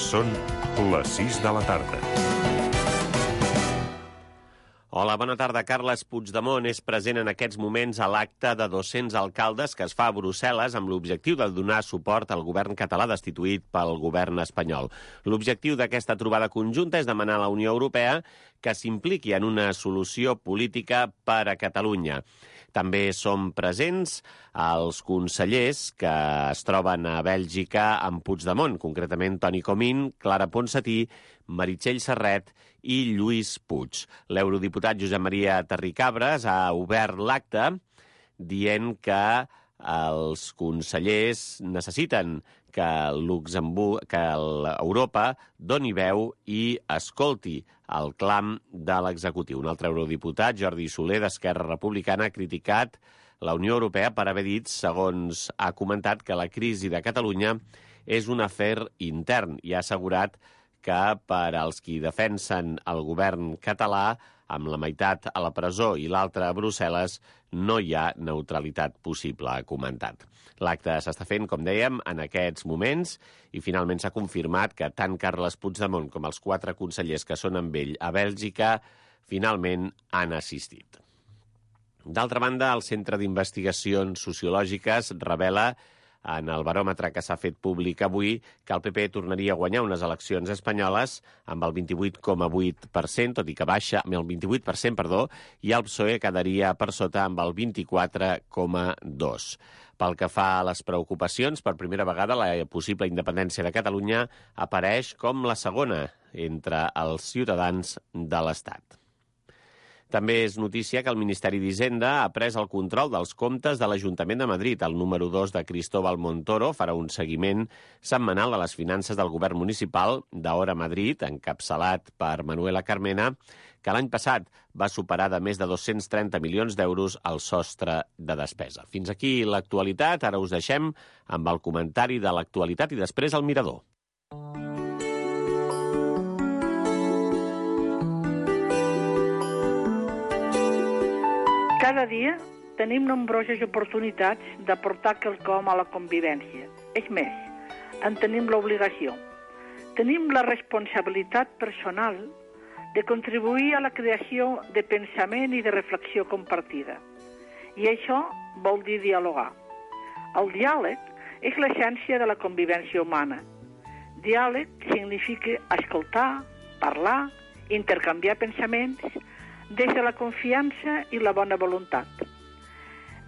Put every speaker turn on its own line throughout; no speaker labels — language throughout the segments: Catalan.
Són les 6 de la tarda.
Hola, bona tarda. Carles Puigdemont és present en aquests moments a l'acte de 200 alcaldes que es fa a Brussel·les amb l'objectiu de donar suport al govern català destituït pel govern espanyol. L'objectiu d'aquesta trobada conjunta és demanar a la Unió Europea que s'impliqui en una solució política per a Catalunya. També són presents els consellers que es troben a Bèlgica amb Puigdemont, concretament Toni Comín, Clara Ponsatí, Meritxell Serret i Lluís Puig. L'eurodiputat Josep Maria Terricabras ha obert l'acte dient que els consellers necessiten que Europa doni veu i escolti el clam de l'executiu. Un altre eurodiputat, Jordi Soler, d'Esquerra Republicana, ha criticat la Unió Europea per haver dit, segons ha comentat, que la crisi de Catalunya és un afer intern i ha assegurat que per als qui defensen el govern català, amb la meitat a la presó i l'altra a Brussel·les, no hi ha neutralitat possible, ha comentat. L'acte s'està fent, com dèiem, en aquests moments i finalment s'ha confirmat que tant Carles Puigdemont com els 4 consellers que són amb ell a Bèlgica finalment han assistit. D'altra banda, el Centre d'Investigacions Sociològiques revela en el baròmetre que s'ha fet públic avui que el PP tornaria a guanyar unes eleccions espanyoles amb el 28,8%, tot i que baixa amb el 28%, i el PSOE quedaria per sota amb el 24,2%. Pel que fa a les preocupacions, per primera vegada la possible independència de Catalunya apareix com la segona entre els ciutadans de l'Estat. També és notícia que el Ministeri d'Hisenda ha pres el control dels comptes de l'Ajuntament de Madrid. El número 2 de Cristóbal Montoro farà un seguiment setmanal a les finances del govern municipal d'Hora Madrid, encapçalat per Manuela Carmena, que l'any passat va superar de més de 230 milions d'euros el sostre de despesa. Fins aquí l'actualitat. Ara us deixem amb el comentari de l'actualitat i després el mirador.
Cada dia tenim nombroses oportunitats d'aportar quelcom a la convivència. És més, en tenim l'obligació. Tenim la responsabilitat personal de contribuir a la creació de pensament i de reflexió compartida. I això vol dir dialogar. El diàleg és l'essència de la convivència humana. Diàleg significa escoltar, parlar, intercanviar pensaments, des de la confiança i la bona voluntat.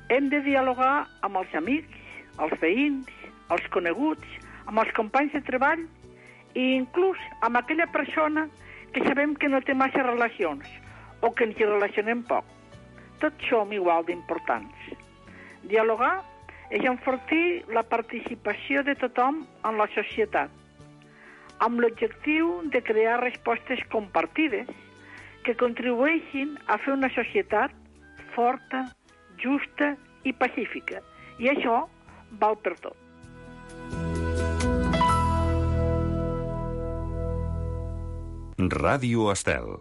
Hem de dialogar amb els amics, els veïns, els coneguts, amb els companys de treball i inclús amb aquella persona que sabem que no té massa relacions o que ens hi relacionem poc. Tots som igual d'importants. Dialogar és enfortir la participació de tothom en la societat, amb l'objectiu de crear respostes compartides que contribueixin a fer una societat forta, justa i pacífica. I això val per tot.
Ràdio Estel.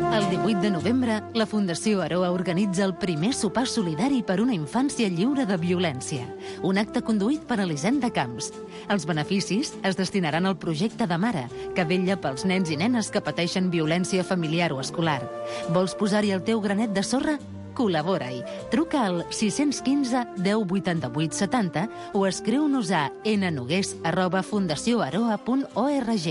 El 18 de novembre, la Fundació Aroa organitza el primer sopar solidari per una infància lliure de violència. Un acte conduït per Elisenda Camps. Els beneficis es destinaran al projecte de Mare, que vetlla pels nens i nenes que pateixen violència familiar o escolar. Vols posar-hi el teu granet de sorra? Col·labora-hi. Truca al 615 10 88 70 o escriu-nos a nnogués@fundacioaroa.org.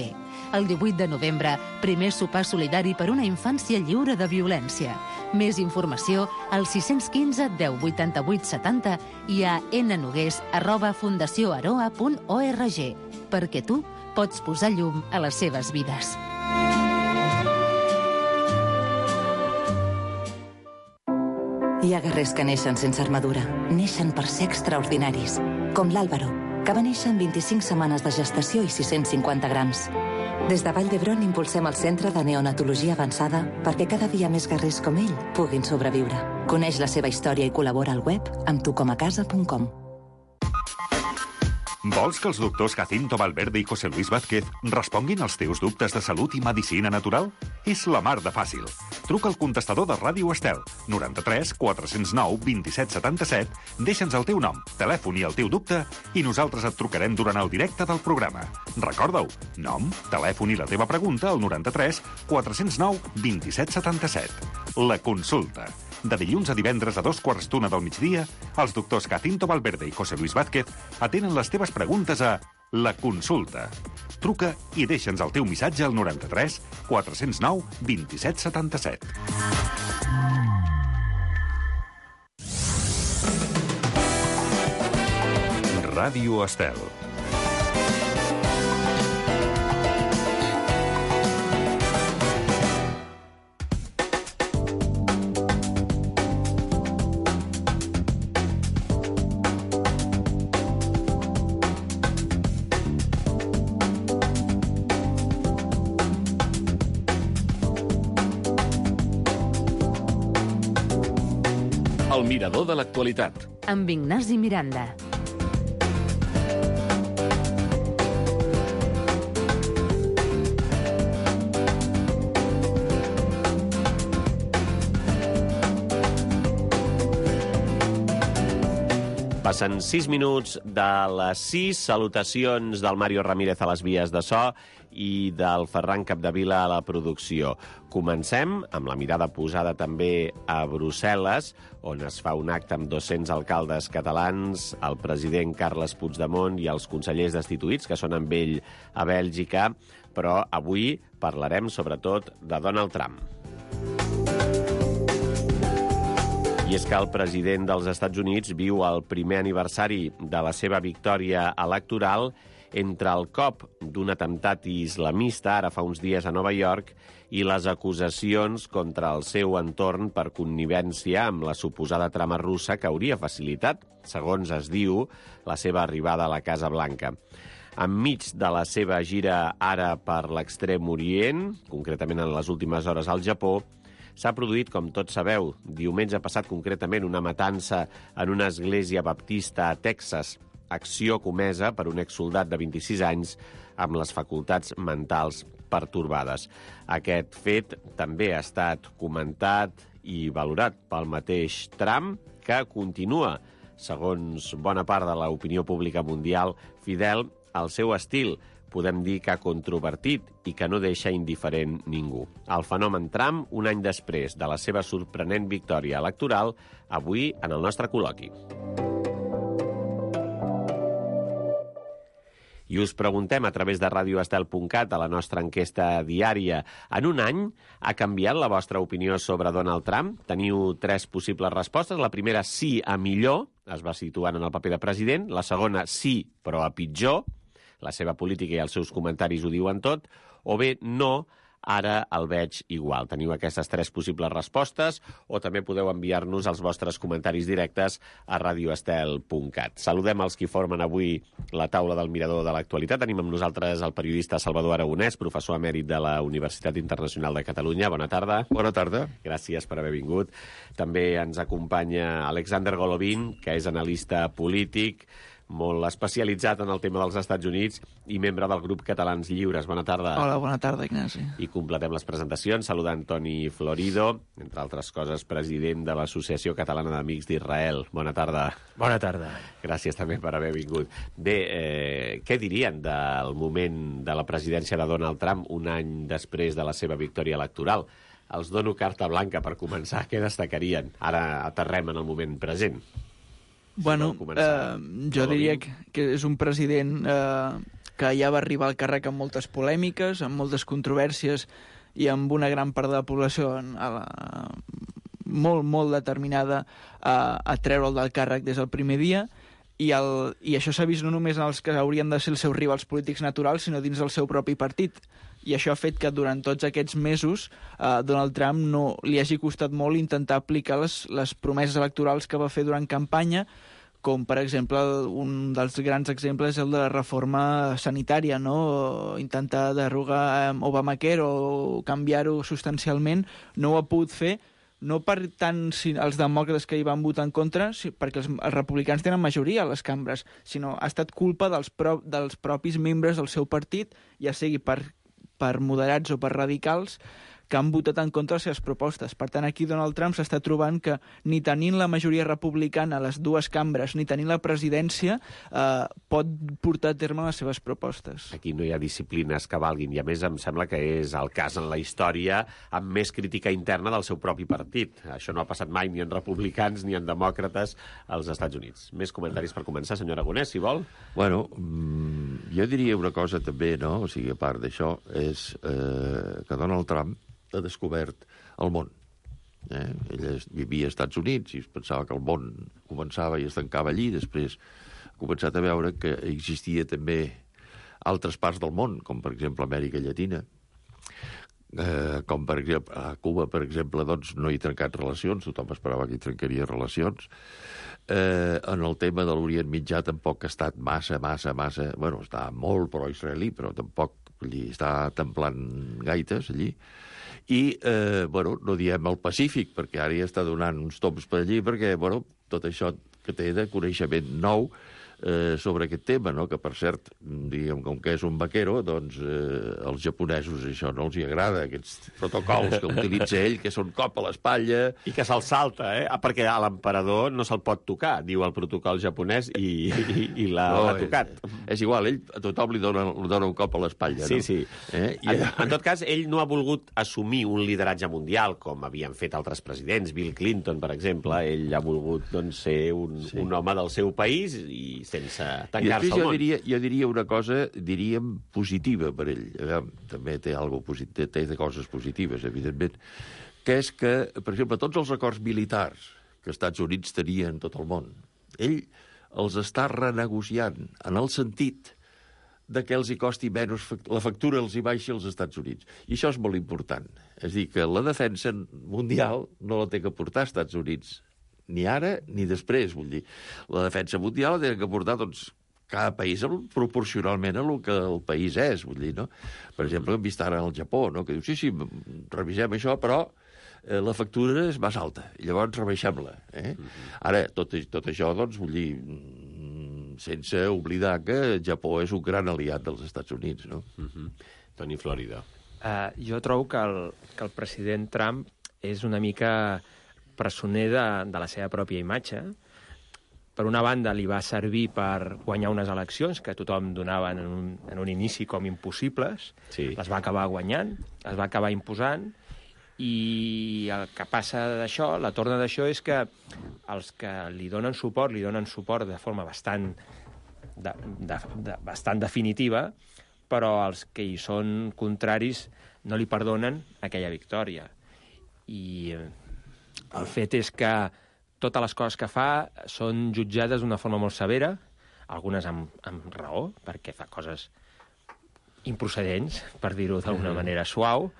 El 18 de novembre, primer sopar solidari per una infància lliure de violència. Més informació al 615 10 88 70 i a nnogués@fundacioaroa.org, perquè tu pots posar llum a les seves vides.
Hi ha guerrers que neixen sense armadura. Neixen per ser extraordinaris. Com l'Àlvaro, que va néixer en 25 setmanes de gestació i 650 grams. Des de Vall d'Hebron impulsem el Centre de Neonatologia Avançada perquè cada dia més guerrers com ell puguin sobreviure. Coneix la seva història i col·labora al web amb tucomacasa.com.
Vols que els doctors Jacinto Valverde i José Luis Vázquez responguin als teus dubtes de salut i medicina natural? És la mar de fàcil. Truca al contestador de Ràdio Estel, 93 409 27 77, deixa'ns el teu nom, telèfon i el teu dubte i nosaltres et trucarem durant el directe del programa. Recorda-ho, nom, telèfon i la teva pregunta al 93 409 27 77. La consulta. De dilluns a divendres a 2:15 del migdia, els doctors Jacinto Valverde i José Luis Vázquez atenen les teves preguntes a La Consulta. Truca i deixa'ns el teu missatge al 93 409 27 77. Ràdio Estel.
El mirador de l'actualitat.
Amb Ignasi Miranda.
Passen 6 minuts de les 6. Salutacions del Mario Ramírez a les vies de so i del Ferran Capdevila a la producció. Comencem amb la mirada posada també a Brussel·les, on es fa un acte amb 200 alcaldes catalans, el president Carles Puigdemont i els consellers destituïts, que són amb ell a Bèlgica, però avui parlarem sobretot de Donald Trump. I és que el president dels Estats Units viu el primer aniversari de la seva victòria electoral entre el cop d'un atemptat islamista, ara fa uns dies a Nova York, i les acusacions contra el seu entorn per connivència amb la suposada trama russa que hauria facilitat, segons es diu, la seva arribada a la Casa Blanca. Enmig de la seva gira ara per l'Extrem Orient, concretament en les últimes hores al Japó, s'ha produït, com tots sabeu, diumenge passat concretament una matança en una església baptista a Texas, acció comesa per un exsoldat de 26 anys amb les facultats mentals pertorbades. Aquest fet també ha estat comentat i valorat pel mateix Trump, que continua, segons bona part de l'opinió pública mundial, fidel al seu estil, podem dir que controvertit i que no deixa indiferent ningú. El fenomen Trump, un any després de la seva sorprenent victòria electoral, avui en el nostre col·loqui. I us preguntem a través de radioestel.cat a la nostra enquesta diària. En un any ha canviat la vostra opinió sobre Donald Trump? Teniu 3 possibles respostes. La primera, sí a millor, es va situant en el paper de president. La segona, sí, però a pitjor. La seva política i els seus comentaris ho diuen tot. O bé, no, ara el veig igual. Teniu aquestes 3 possibles respostes o també podeu enviar-nos els vostres comentaris directes a radioestel.cat. Saludem els qui formen avui la taula del mirador de l'actualitat. Tenim amb nosaltres el periodista Salvador Aragonès, professor emèrit de la Universitat Internacional de Catalunya. Bona tarda.
Bona tarda.
Gràcies per haver vingut. També ens acompanya Alexander Golovin, que és analista polític, molt especialitzat en el tema dels Estats Units i membre del grup Catalans Lliures. Bona tarda.
Hola, bona tarda, Ignasi.
I completem les presentacions saludant Toni Florido, entre altres coses, president de l'Associació Catalana d'Amics d'Israel. Bona tarda.
Bona tarda.
Gràcies també per haver vingut. Bé, què dirien del moment de la presidència de Donald Trump un any després de la seva victòria electoral? Els dono carta blanca per començar. Què destacarien? Ara aterrem en el moment present.
Bueno, jo diria que és un president que ja va arribar al càrrec amb moltes polèmiques, amb moltes controvèrsies i amb una gran part de la població molt determinada a treure'l del càrrec des del primer dia, i això s'ha vist no només en els que haurien de ser els seus rivals polítics naturals, sinó dins del seu propi partit. I això ha fet que durant tots aquests mesos Donald Trump no li hagi costat molt intentar aplicar les promeses electorals que va fer durant campanya, com per exemple un dels grans exemples és el de la reforma sanitària, no? Intentar derogar Obamacare o canviar-ho substancialment. No ho ha pogut fer no per tant els demòcrates que hi van votar en contra, perquè els republicans tenen majoria a les cambres, sinó ha estat culpa dels propis membres del seu partit, ja sigui per moderats o per radicals, que han votat en contra de les seves propostes. Per tant, aquí Donald Trump s'està trobant que ni tenint la majoria republicana a les dues cambres, ni tenint la presidència, pot portar a terme les seves propostes.
Aquí no hi ha disciplines que valguin, i a més em sembla que és el cas en la història amb més crítica interna del seu propi partit. Això no ha passat mai ni en republicans ni en demòcrates als Estats Units. Més comentaris per començar, senyor Aragonès, si vol.
Bueno, jo diria una cosa també, no? O sigui, a part d'això, és que Donald Trump ha descobert el món. Ell vivia als Estats Units i es pensava que el món començava i es tancava allí, després ha començat a veure que existia també altres parts del món, com per exemple Amèrica Llatina, com per exemple a Cuba, per exemple, doncs no hi ha trencat relacions, tothom esperava que hi trencaria relacions. En el tema de l'Orient Mitjà tampoc ha estat massa... Bueno, està molt pro-israelí, però tampoc està templant gaites allí. I, bueno, no diem el Pacífic, perquè ara ja està donant uns toms per allí, perquè, bueno, tot això que té de coneixement nou sobre aquest tema, no? Que per cert, diguem, com que és un vaquero, doncs als japonesos això no els hi agrada, aquests protocols que utilitza ell, que són cop a l'espatlla...
I que se'l salta, perquè a l'emperador no se'l pot tocar, diu el protocol japonès, i l'ha tocat.
És igual, ell a tothom li dona un cop a l'espatlla,
sí,
no?
Sí, en tot cas, ell no ha volgut assumir un lideratge mundial, com havien fet altres presidents, Bill Clinton, per exemple. Ell ha volgut, doncs, ser un home del seu país i sense tancar-se al món.
Jo diria una cosa, diríem, positiva per ell. També té coses positives, evidentment, que és que, per exemple, tots els acords militars que els Estats Units tenien en tot el món, ell els està renegociant en el sentit de que els hi costi menys, la factura els hi baixi als Estats Units. I això és molt important. És a dir, que la defensa mundial no la té que portar als Estats Units, ni ara ni després, vull dir. La defensa mundial la tenen que portar, doncs, cada país proporcionalment a el que el país és, vull dir, no? Per exemple, hem vist ara al Japó, no? Que diu, sí, revisem això, però la factura és més alta, i llavors rebaixem-la. Ara, tot això, doncs, vull dir, sense oblidar que el Japó és un gran aliat dels Estats Units, no?
Toni Florida.
Jo trobo que el president Trump és una mica presoner de la seva pròpia imatge. Per una banda, li va servir per guanyar unes eleccions que tothom donava en un inici com impossibles.
Sí. Les
va acabar guanyant, les va acabar imposant, i el que passa d'això, la torna d'això, és que els que li donen suport de forma bastant definitiva, però els que hi són contraris no li perdonen aquella victòria. I el fet és que totes les coses que fa són jutjades d'una forma molt severa, algunes amb raó, perquè fa coses improcedents, per dir-ho d'alguna manera suau,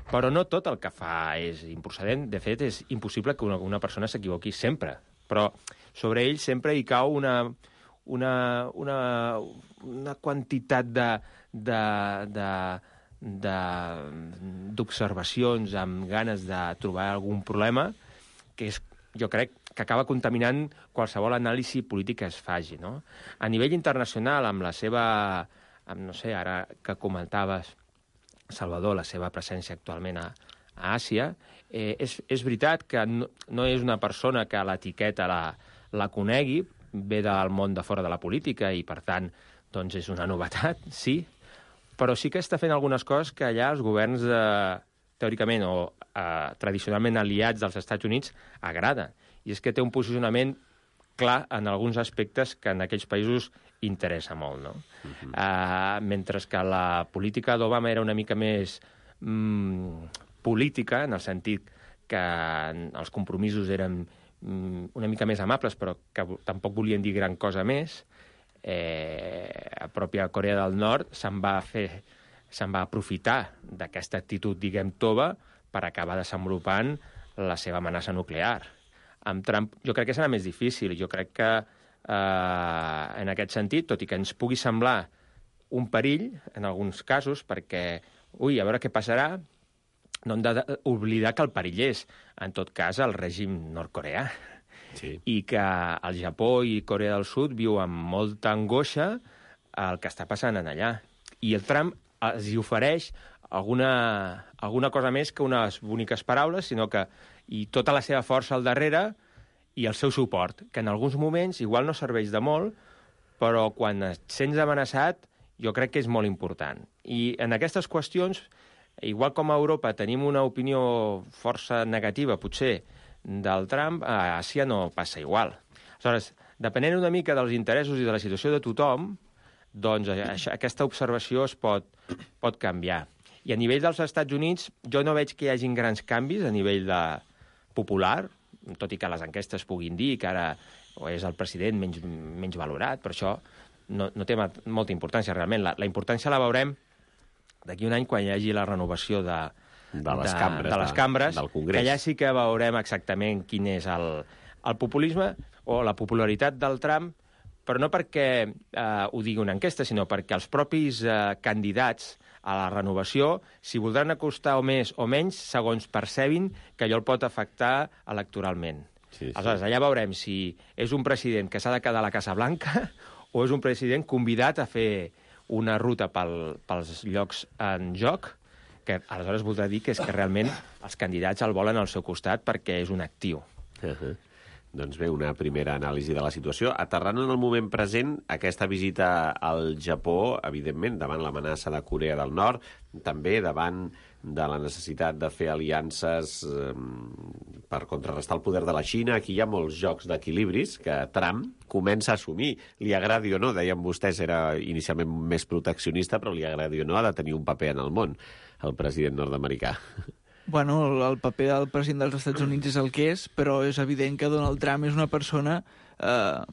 però no tot el que fa és improcedent. De fet, és impossible que una persona s'equivoqui sempre, però sobre ell sempre hi cau una quantitat d'observacions amb ganes de trobar algun problema que és, jo crec, que acaba contaminant qualsevol anàlisi polític que es faci, no? A nivell internacional, amb la seva, no sé, ara que comentaves, Salvador, la seva presència actualment a Àsia, és veritat que no és una persona que l'etiqueta la conegui, ve del món de fora de la política i, per tant, doncs és una novetat, sí, però sí que està fent algunes coses que allà els governs, teòricament o tradicionalment aliats dels Estats Units, agraden. I és que té un posicionament clar en alguns aspectes que en aquells països interessa molt, no? Mentre que la política d'Obama era una mica més política, en el sentit que els compromisos eren una mica més amables, però que tampoc volien dir gran cosa més, a pròpia Corea del Nord se'n va aprofitar d'aquesta actitud, diguem, tova, per acabar desenvolupant la seva amenaça nuclear. Amb Trump jo crec que serà més difícil. Jo crec que en aquest sentit, tot i que ens pugui semblar un perill en alguns casos, perquè, a veure què passarà, no hem d'oblidar que el perill és, en tot cas, el règim nord-coreà.
Sí.
I que el Japó i Corea del Sud viu amb molta angoixa el que està passant en allà. I el Trump els hi ofereix alguna cosa més que unes boniques paraules, sinó que i tota la seva força al darrere i el seu suport, que en alguns moments igual no serveix de molt, però quan et sents amenaçat jo crec que és molt important. I en aquestes qüestions, igual com a Europa tenim una opinió força negativa, potser, del Trump, a Àsia no passa igual. Aleshores, depenent una mica dels interessos i de la situació de tothom, doncs aquesta observació es pot canviar. I a nivell dels Estats Units jo no veig que hi hagin grans canvis a nivell popular, tot i que les enquestes puguin dir que ara és el president menys valorat, però això no té molta importància realment. La importància la veurem d'aquí un any quan hi hagi la renovació de les cambres,
del Congrés.
Que allà sí que veurem exactament quin és el populisme o la popularitat del Trump, però no perquè ho digui una enquesta, sinó perquè els propis candidats a la renovació s'hi voldran acostar o més o menys segons percebin que allò el pot afectar electoralment.
Sí.
Aleshores, allà veurem si és un president que s'ha de quedar a la Casa Blanca o és un president convidat a fer una ruta pels llocs en joc, que aleshores voldrà dir que és que realment els candidats el volen al seu costat perquè és un actiu.
Doncs bé, una primera anàlisi de la situació. Aterrant en el moment present, aquesta visita al Japó, evidentment, davant l'amenaça de Corea del Nord, també davant de la necessitat de fer aliances per contrarrestar el poder de la Xina. Aquí hi ha molts jocs d'equilibris que Trump comença a assumir. Li agradi o no, deien vostès, era inicialment més proteccionista, però li agradi o no, ha de tenir un paper en el món, el president nord-americà.
Bueno, el paper del president dels Estats Units és el que és, però és evident que Donald Trump és una persona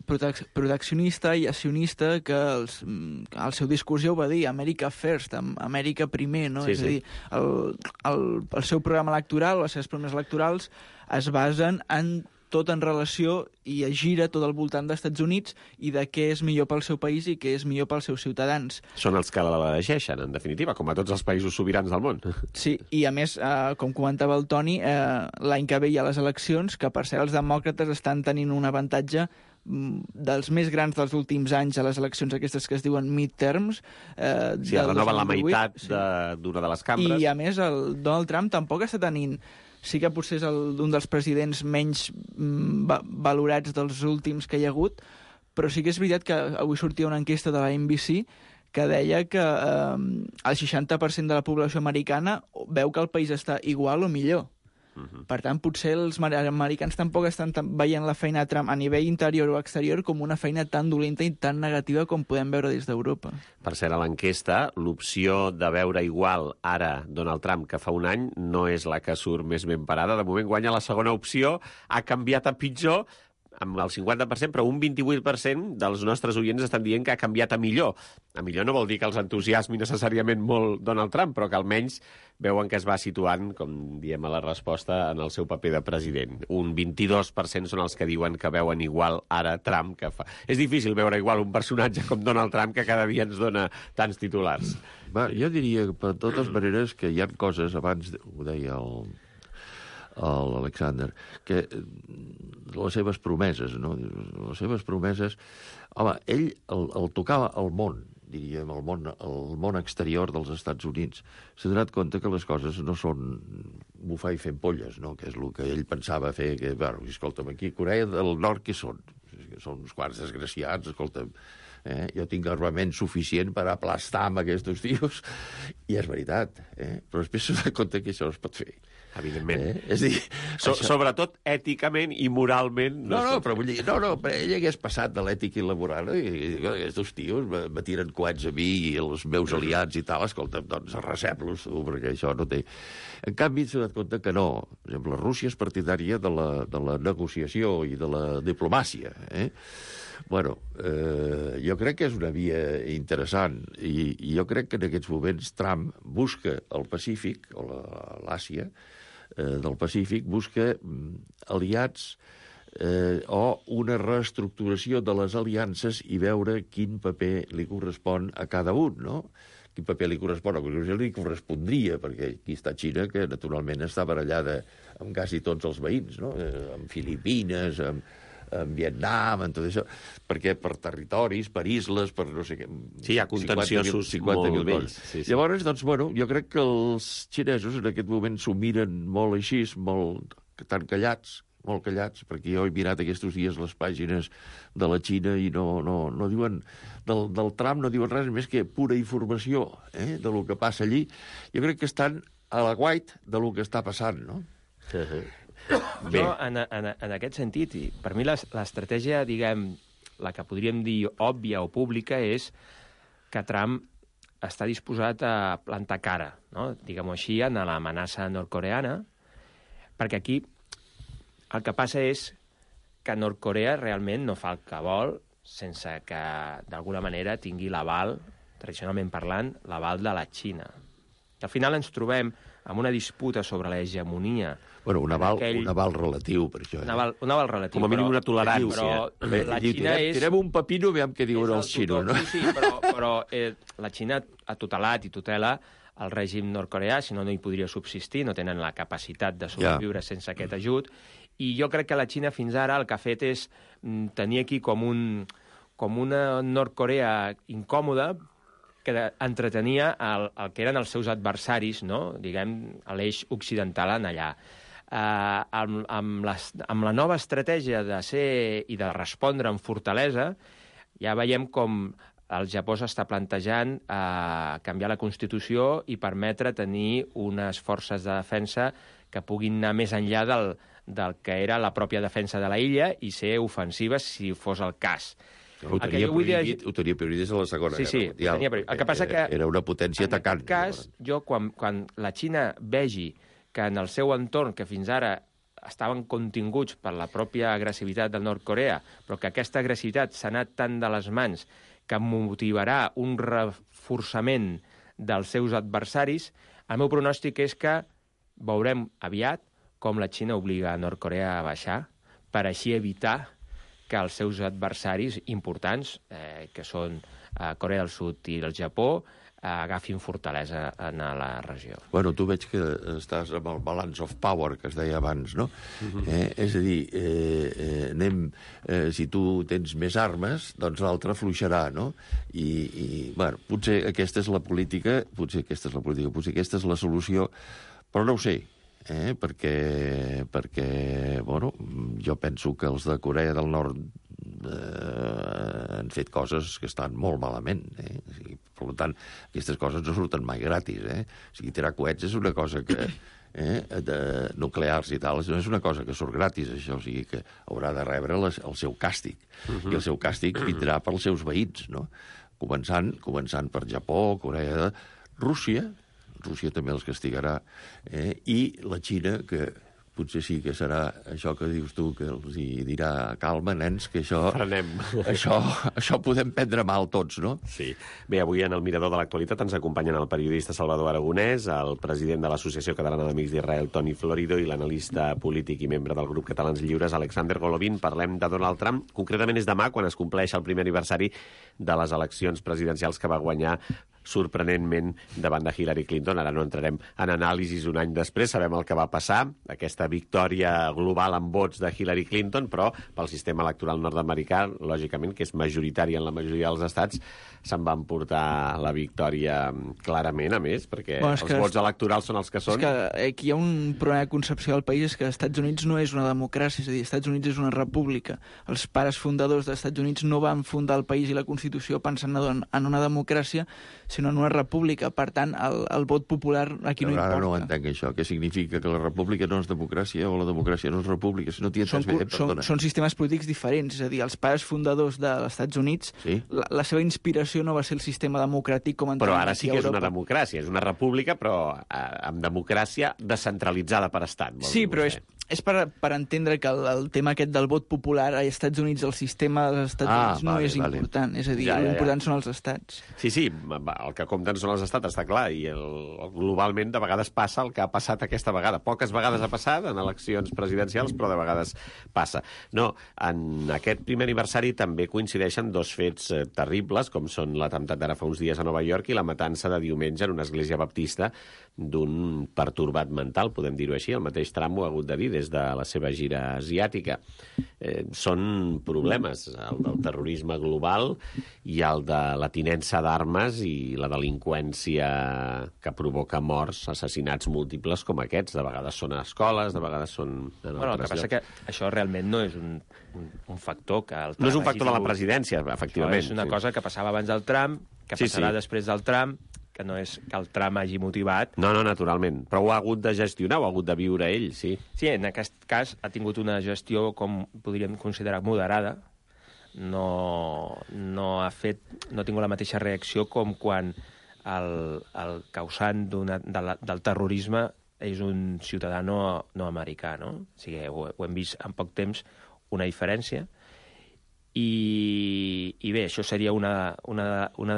proteccionista i accionista que el seu discurs ja ho va dir, America First, Amèrica primer, no?
Sí,
és a dir, el seu programa electoral, les seves promeses electorals es basen tot en relació i es gira tot al voltant dels Estats Units i de què és millor pel seu país i què és millor pels seus ciutadans.
Són els que l'elegeixen, en definitiva, com a tots els països sobirans del món.
Sí, i a més, com comentava el Toni, l'any que ve hi ha les eleccions, que per cert els demòcrates estan tenint un avantatge dels més grans dels últims anys a les eleccions aquestes que es diuen midterms.
Sí, renoven la meitat d'una de les cambres.
I a més el Donald Trump tampoc està tenint... Sí que potser és un dels presidents menys valorats dels últims que hi ha hagut, però sí que és veritat que avui sortia una enquesta de la NBC que deia que el 60% de la població americana veu que el país està igual o millor. Per tant, potser els americans tampoc estan veient la feina de Trump a nivell interior o exterior com una feina tan dolenta i tan negativa com podem veure des d'Europa.
Per cert, a l'enquesta, l'opció de veure igual ara Donald Trump que fa un any no és la que surt més ben parada. De moment guanya la segona opció, ha canviat a pitjor, amb el 50%, però un 28% dels nostres oients estan dient que ha canviat a millor. A millor no vol dir que els entusiasmi necessàriament molt Donald Trump, però que almenys veuen que es va situant, com diem a la resposta, en el seu paper de president. Un 22% són els que diuen que veuen igual ara Trump que fa. És difícil veure igual un personatge com Donald Trump que cada dia ens dona tants titulars.
Va, jo diria, per totes maneres, que hi ha coses, abans ho deia l'Alexander, que les seves promeses, no? Les seves promeses... Home, ell el tocava al món, diríem, el món exterior dels Estats Units. S'ha donat compte que les coses no són bufar i fer polles, no? Que és el que ell pensava fer, que, bueno, escolta'm, aquí a Corea del Nord què són? Són uns quants desgraciats, escolta'm, jo tinc armament suficient per aplastar amb aquests tios, i és veritat, però després s'ha donat compte que això no es pot fer.
Evidentment.
És a dir,
sobretot èticament i moralment.
Però vull dir, però ell hagués passat de l'ètica i la moral, i aquests tios me tiren coets a mi i els meus aliats i tal, escolta, doncs arrasem-los, perquè això no té... En canvi, s'ha donat compte que no. Per exemple, Rússia és partidària de la negociació i de la diplomàcia, Bueno, jo crec que és una via interessant i jo crec que en aquests moments Trump busca el Pacífic, o l'Àsia del Pacífic, busca aliats o una reestructuració de les aliances i veure quin paper li correspon a cada un, no? quin paper li correspon. Li correspondria, perquè aquí està Xina, que naturalment està barallada amb quasi tots els veïns, no? Amb Filipines, amb Vietnam, en tot això, perquè per territoris, per isles, per no sé què...
Sí, hi ha contenciosos molt vells. Sí.
Llavors, doncs, bueno, jo crec que els xinesos en aquest moment s'ho miren molt així, molt tan callats, molt callats, perquè jo he mirat aquests dies les pàgines de la Xina i no diuen... Del Trump no diuen res més que pura informació de lo que passa allí. Jo crec que estan a la guait de lo que està passant, no?
Bé. Jo, en aquest sentit, i per mi l'estratègia, diguem, la que podríem dir òbvia o pública és que Trump està disposat a plantar cara, no? Diguem-ho així, en l'amenaça nord-coreana, perquè aquí el que passa és que Nord-Corea realment no fa el que vol sense que, d'alguna manera, tingui l'aval, tradicionalment parlant, l'aval de la Xina. Al final ens trobem amb una disputa sobre l'hegemonia.
Bueno, un aval relatiu, per això.
Un aval relatiu.
Com a mínim una tolerància.
Però la Xina és...
Tirem un pepino, veiem què diuen els xinos, no?
Sí, però la Xina ha tutelat i tutela el règim nord-coreà, si no hi podria subsistir, no tenen la capacitat de sobreviure sense aquest ajut, i jo crec que la Xina fins ara el que ha fet és tenir aquí com una Nord-Corea incòmoda, que entretenia el que eren els seus adversaris, no? Diguem, a l'eix occidental en allà. Amb la nova estratègia de ser i de respondre amb fortalesa, ja veiem com el Japó s'està plantejant canviar la Constitució i permetre tenir unes forces de defensa que puguin anar més enllà del que era la pròpia defensa de la illa i ser ofensives si fos el cas.
Ho tenia prohibit des de la Segona Guerra Mundial.
El que passa que
era una potència atacant.
En aquest cas, jo, quan la Xina vegi que en el seu entorn, que fins ara estaven continguts per la pròpia agressivitat del Nord-Corea, però que aquesta agressivitat s'ha anat tant de les mans que motivarà un reforçament dels seus adversaris, el meu pronòstic és que veurem aviat com la Xina obliga a Nord-Corea a baixar per així evitar que els seus adversaris importants, que són Corea del Sud i el Japó, agafin fortalesa en la regió.
Bueno, tu veig que estàs amb el balance of power, que es deia abans, no? És a dir, si tu tens més armes, doncs l'altre fluixarà, no? I bueno, potser aquesta és la política, potser aquesta és la solució, però no ho sé, perquè bueno, jo penso que els de Corea del Nord han fet coses que estan molt malament. O sigui, per tant, aquestes coses no surten mai gratis. O sigui, tirar coets és una cosa que... de nuclears i tal, no és una cosa que surt gratis, això, o sigui que haurà de rebre el seu càstig. I el seu càstig vindrà pels seus veïns, no? Començant per Japó, Corea, Rússia també els castigarà, i la Xina, que potser sí que serà això que dius tu, que els hi dirà calma, nens, que això...
Frenem.
Això podem prendre mal tots, no?
Sí. Bé, avui en el Mirador de l'Actualitat ens acompanyen el periodista Salvador Aragonès, el president de l'Associació Catalana d'Amics d'Israel, Toni Florido, i l'analista polític i membre del grup Catalans Lliures, Alexander Golovin. Parlem de Donald Trump. Concretament és demà, quan es compleix el primer aniversari de les eleccions presidencials que va guanyar sorprenentment davant de Hillary Clinton. Ara no entrarem en anàlisis un any després, sabem el que va passar, aquesta victòria global en vots de Hillary Clinton, però pel sistema electoral nord-americà, lògicament, que és majoritari en la majoria dels estats, se'n van portar la victòria clarament, a més, perquè els vots electorals són els que són.
És que aquí hi ha un problema de concepció del país, és que els Estats Units no és una democràcia, és a dir, els Estats Units és una república. Els pares fundadors dels Estats Units no van fundar el país i la Constitució pensant en una democràcia, sinó en una república. Per tant, el vot popular aquí no importa.
Ara no entenc això. Què significa? Que la república no és democràcia o la democràcia no és república? Si no t'hi entens bé, perdona.
Són sistemes polítics diferents. És a dir, els pares fundadors dels Estats Units, la seva inspiració no va ser el sistema democràtic com entenem.
Però ara sí que és una democràcia. És una república, però amb democràcia descentralitzada per estat.
Sí, però és per entendre que el tema aquest del vot popular als Estats Units, el sistema dels Estats Units no és important. És a dir, l'important són els estats.
Sí, el que compten són els estats, està clar, i globalment de vegades passa el que ha passat aquesta vegada. Poques vegades ha passat en eleccions presidencials, però de vegades passa. No, en aquest primer aniversari també coincideixen dos fets terribles, com són l'atemptat d'ara fa uns dies a Nova York i la matança de diumenge en una església baptista d'un pertorbat mental, podem dir-ho així. El mateix Trump ho ha hagut de dir des de la seva gira asiàtica. Són problemes, el del terrorisme global i el de la tinença d'armes i la delinqüència que provoca morts, assassinats múltiples com aquests. De vegades són a escoles, de vegades són en
el que passa que això realment no és un factor que el Trump...
No és un factor de la presidència, efectivament.
Això és una cosa que passava abans del Trump, que passarà després del Trump, que no és que el Trump hagi motivat.
No, naturalment. Però ho ha hagut de gestionar, ho ha hagut de viure ell, sí.
Sí, en aquest cas ha tingut una gestió, com podríem considerar, moderada. No ha tingut la mateixa reacció com quan el causant del terrorisme és un ciutadà no americà, no? O sigui, ho hem vist en poc temps, una diferència. I bé, això seria una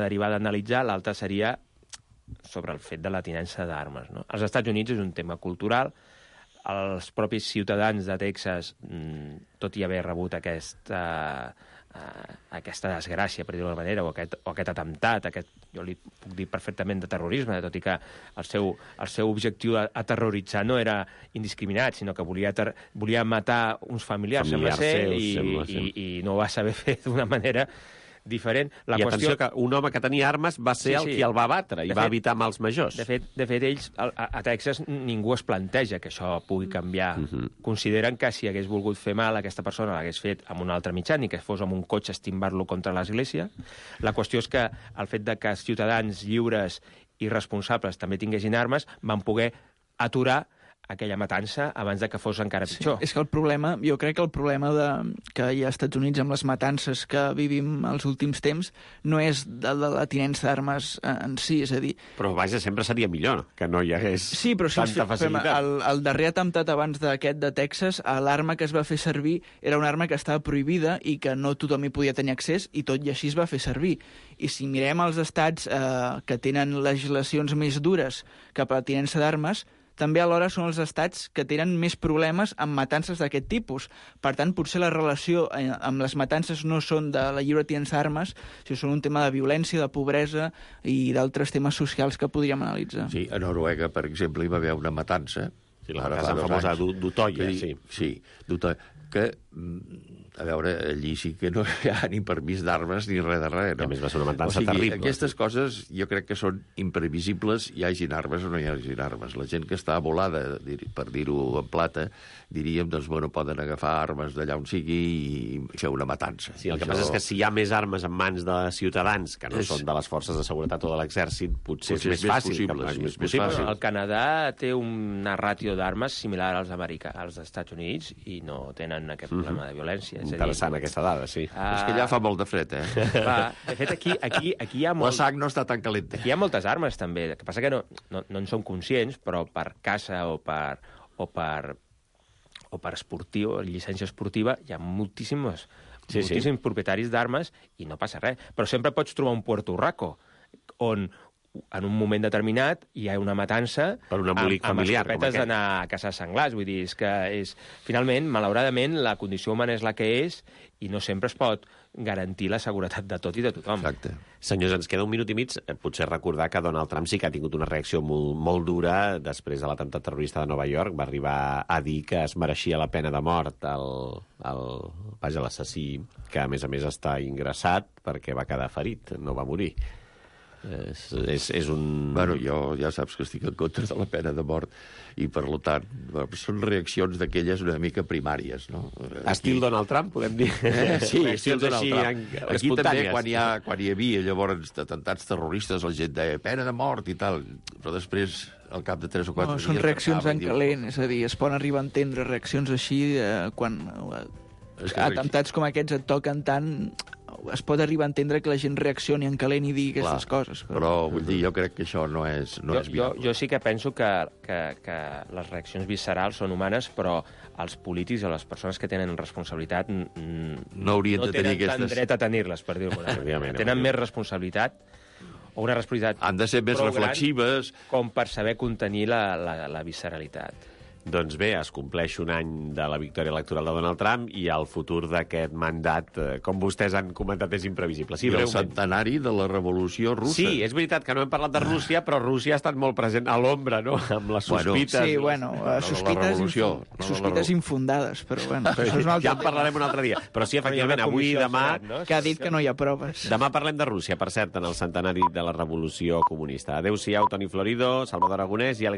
derivada a analitzar, l'altra seria sobre el fet de la tinença d'armes, no? Als Estats Units és un tema cultural. Els propis ciutadans de Texas, tot i haver rebut aquesta desgràcia, per dir-ho d'alguna manera, o aquest atemptat, jo li puc dir perfectament de terrorisme, tot i que el seu objectiu a terroritzar no era indiscriminat, sinó que volia matar uns familiars sembla ser, i no ho va saber fer d'una manera diferent.
Atenció que un home que tenia armes va ser el qui el va batre i va evitar mals majors.
De fet, ells, a Texas, ningú es planteja que això pugui canviar. Consideren que si hagués volgut fer mal, aquesta persona l'hagués fet amb un altre mitjà, ni que fos amb un cotxe estimbar-lo contra l'església. La qüestió és que el fet de que els ciutadans lliures i responsables també tinguessin armes van poder aturar aquella matança abans de que fos encara pitjor.
Sí, és que jo crec que el problema que hi ha als Estats Units amb les matances que vivim els últims temps no és de la tinença d'armes en si, és a dir...
Però vaja, sempre seria millor que no hi hagués tanta facilitat.
El darrer atemptat abans d'aquest de Texas, l'arma que es va fer servir era una arma que estava prohibida i que no tothom hi podia tenir accés, i tot i així es va fer servir. I si mirem els estats que tenen legislacions més dures cap a la tinença d'armes, també alhora són els estats que tenen més problemes amb matances d'aquest tipus. Per tant, potser la relació amb les matances no són de la lliure tinença d'armes, sinó són un tema de violència, de pobresa i d'altres temes socials que podríem analitzar.
Sí, a Noruega, per exemple, hi va haver una matança.
Sí, la matança famosa d'Utoya, sí.
Sí, d'Utoya, que... A veure, allí sí que no hi ha ni permís d'armes ni res de res. No?
A més va ser una matança terrible.
Aquestes coses jo crec que són imprevisibles, hi hagin armes o no hi hagin armes. La gent que està volada, per dir-ho en plata, diríem, doncs, bueno, poden agafar armes d'allà on sigui i fer una matança.
Sí, el que passa és que si hi ha més armes en mans de ciutadans, que no són de les forces de seguretat o de l'exèrcit, potser és més fàcil.
És més fàcil.
El Canadà té una ràtio d'armes similar als Estats Units i no tenen aquest problema de violència.
Interessant, aquesta dada, sí.
És que allà fa molt de fred,
De fet, aquí hi ha
la sang no està tan calenta.
Aquí hi ha moltes armes, també. El que passa que no en som conscients, però per caça o per esportiu, llicència esportiva, hi ha moltíssims propietaris d'armes i no passa res. Però sempre pots trobar un Puerto Rico on en un moment determinat hi ha una matança
per un embolic familiar,
amb escopetes d'anar a caçar senglars. Vull dir, finalment, malauradament, la condició humana és la que és i no sempre es pot garantir la seguretat de tot i de tothom.
Exacte.
Senyors, ens queda un minut i mig. Potser recordar que Donald Trump sí que ha tingut una reacció molt, molt dura després de l'atemptat terrorista de Nova York. Va arribar a dir que es mereixia la pena de mort l'assassí, que a més està ingressat perquè va quedar ferit, no va morir. És un...
Bueno, jo ja saps que estic en contra de la pena de mort i, per tant, són reaccions d'aquelles una mica primàries, no?
Estil Donald Trump, podem dir?
Sí, estil Donald Trump. Aquí també, quan hi havia llavors atemptats terroristes, la gent deia pena de mort i tal, però després, al cap de 3 o 4 dies...
Són reaccions en calent, és a dir, es poden arribar a entendre reaccions així quan atemptats com aquests et toquen tant... Es pot arribar a entendre que la gent reaccioni en calent i digui aquestes coses.
Però vull dir, jo crec que això no és viable.
Jo sí que penso que les reaccions viscerals són humanes, però els polítics o les persones que tenen responsabilitat
no haurien de tenir
tenen tant dret a tenir-les, per dir-ho d'alguna manera. Tenen més responsabilitat o una responsabilitat
Han de ser més
prou gran
reflexives.
com per saber contenir la visceralitat.
Doncs bé, es compleix un any de la victòria electoral de Donald Trump i el futur d'aquest mandat, com vostès han comentat, és imprevisible. Sí,
I el
breument.
centenari de la Revolució Russa.
Sí, és veritat que no hem parlat de Rússia, però Rússia ha estat molt present a l'ombra, no?, amb les sospites.
Sí, bueno, sospites infundades, però bueno, això és un altre
ja en parlarem un altre dia. Però sí, efectivament, avui i demà...
Que ha dit que no hi ha proves.
Demà parlem de Rússia, per cert, en el centenari de la Revolució Comunista. Adéu-siau, Toni Florido, Salvador Aragonès i Àlex